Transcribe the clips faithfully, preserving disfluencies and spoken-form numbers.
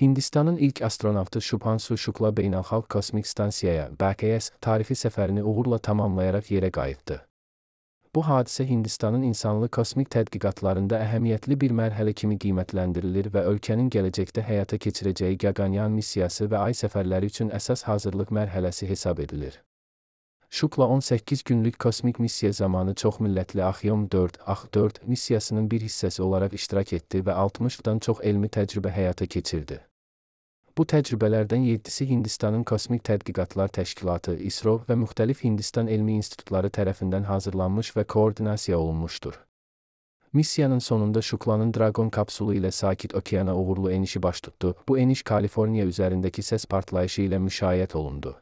Hindistanın ilk astronavtı Shubhansu Shukla Beynəlxalq Kosmik Stansiyaya B K S tarixi səfərini uğurla tamamlayaraq yerə qayıtdı. Bu hadisə Hindistanın insanlı kosmik tədqiqatlarında əhəmiyyətli bir mərhələ kimi qiymətləndirilir və ölkənin gələcəkdə həyata keçirəcəyi Gaganyaan missiyası və ay səfərləri üçün əsas hazırlıq mərhələsi hesab edilir. Shukla on səkkiz günlük kosmik missiya zamanı çoxmillətli Akhyom dörd A X dörd missiyasının bir hissəsi olaraq iştirak etdi və altmışdan çox elmi təcrübə həyata keçirdi. Bu təcrübələrdən yeddisi Hindistanın Kosmik Tədqiqatlar Təşkilatı I S R O və müxtəlif Hindistan elmi institutları tərəfindən hazırlanmış və koordinasiya olunmuşdur. Missiyanın sonunda Shuklanın Dragon kapsulu ilə Sakit Okeana uğurlu enişi baş tutdu. Bu eniş Kaliforniya üzərindəki səs partlayışı ilə müşayiət olundu.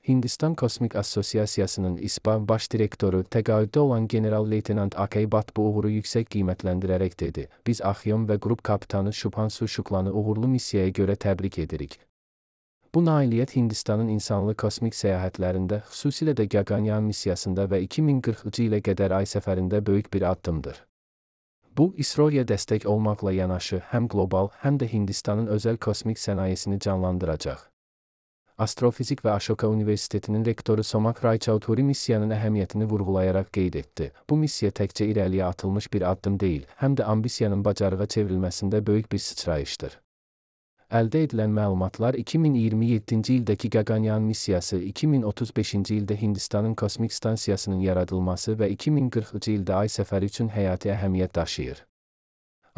Hindistan Kosmik Assosiasiyasının I S P A baş direktoru təqaüddə olan general-leytenant Akay Bhatt bu uğuru yüksək qiymətləndirərək dedi: "Biz Akhyom və qrup kapitanı Shubhansu Shuklanı uğurlu missiyaya görə təbrik edirik. Bu nailiyyət Hindistanın insanlı kosmik səyahətlərində, xüsusilə də Gaganyaan missiyasında və iki min qırxıncı ilə qədər ay səfərində böyük bir addımdır. Bu, I S R O-ya dəstək olmaqla yanaşı, həm qlobal, həm də Hindistanın özəl kosmik sənayesini canlandıracaq." Astrofizik və Ashoka Universitetinin rektoru Somak Raychaudhuri missiyanın əhəmiyyətini vurğulayaraq qeyd etdi: "Bu missiya təkcə irəliyə atılmış bir addım deyil, həm də ambisiyanın bacarığa çevrilməsində böyük bir sıçrayışdır." Əldə edilən məlumatlar iki min iyirmi yeddinci ildəki Gaganyaan missiyası, iki min otuz beşinci ildə Hindistanın kosmik stansiyasının yaradılması və iki min qırxıncı ildə ay səfəri üçün həyati əhəmiyyət daşıyır.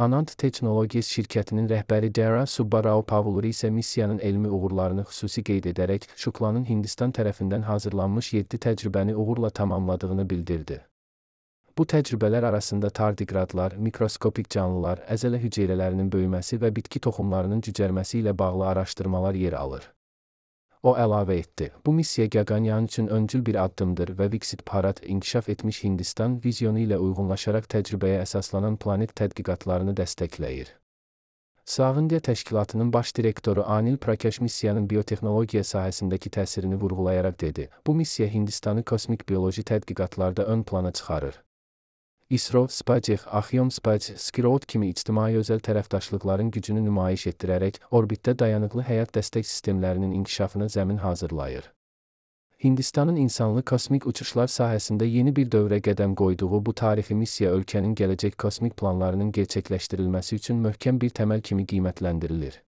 Anand Technologies şirkətinin rəhbəri Dara Subba Rao Pavluri isə missiyanın elmi uğurlarını xüsusi qeyd edərək, Shuklanın Hindistan tərəfindən hazırlanmış yeddi təcrübəni uğurla tamamladığını bildirdi. Bu təcrübələr arasında tardiqradlar, mikroskopik canlılar, əzələ hüceyrələrinin böyüməsi və bitki toxumlarının cücərməsi ilə bağlı araşdırmalar yer alır. O əlavə etdi: "Bu missiya Gaganyaan üçün öncül bir addımdır və Viksit Bharat inkişaf etmiş Hindistan vizyonu ilə uyğunlaşaraq təcrübəyə əsaslanan planet tədqiqatlarını dəstəkləyir." Sağındiya Təşkilatının baş direktoru Anil Prakash missiyanın biotexnologiya sahəsindəki təsirini vurğulayaraq dedi: "Bu missiya Hindistanı kosmik bioloji tədqiqatlarda ön plana çıxarır. I S R O, SpaceX, Akhyom Space, Skirot kimi ictimai özəl tərəfdaşlıqların gücünü nümayiş etdirərək, orbitdə dayanıqlı həyat dəstək sistemlərinin inkişafına zəmin hazırlayır." Hindistanın insanlı kosmik uçuşlar sahəsində yeni bir dövrə qədəm qoyduğu bu tarixi missiya ölkənin gələcək kosmik planlarının gerçəkləşdirilməsi üçün möhkəm bir təməl kimi qiymətləndirilir.